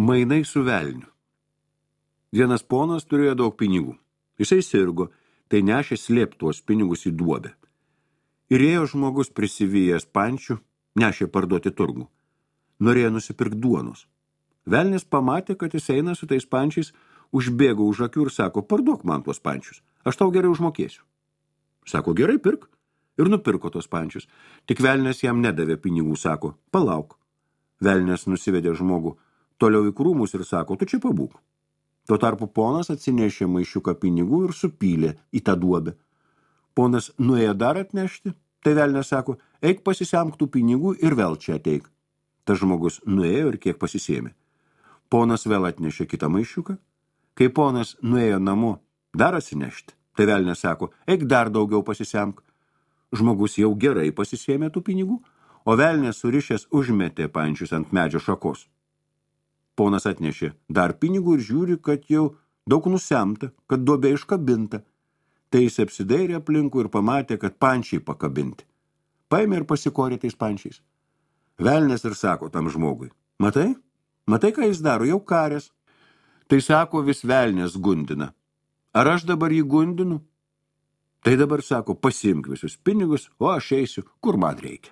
Mainai su velniu. Vienas ponas turėjo daug pinigų. Jisai sirgo, tai nešė slėpti tuos pinigus į duobę. Ir ėjo žmogus prisivijęs pančių, nešė parduoti turgų. Norėjo nusipirkti duonos. Velnis pamatė, kad jis eina su tais pančiais, užbėgo už akių ir sako, parduok man tuos pančius, aš tau gerai užmokėsiu. Sako, gerai, pirk. Ir nupirko tos pančius. Tik velnis jam nedavė pinigų, sako, palauk. Velnis nusivedė žmogų toliau į krūmus ir sako, tu čia pabūk. Tuo tarpu ponas atsinešė maišiuką pinigų ir supylė į tą duobę. Ponas nuėjo dar atnešti, tai velnis sako, eik pasisemk tų pinigų ir vėl čia ateik. Tas žmogus nuėjo ir kiek pasisėmė. Ponas vėl atnešė kitą maišiuką. Kai ponas nuėjo namo dar atsinešti, tai velnis sako, eik dar daugiau pasisemk. Žmogus jau gerai pasisėmė tų pinigų, o velnis surišęs užmetė pančius ant medžio šakos. Ponas atnešė dar pinigų ir žiūri, kad jau daug nusemta, kad duobė iškabinta. Tai jis apsidairė aplinkui ir pamatė, kad pančiai pakabinti. Paėmė ir pasikorė tais pančiais. Velnis ir sako tam žmogui, matai, ką jis daro, jau karės. Tai sako, vis velnis gundina. Ar aš dabar jį gundinu? Tai dabar sako, pasiimk visus pinigus, o aš eisiu, kur man reikia.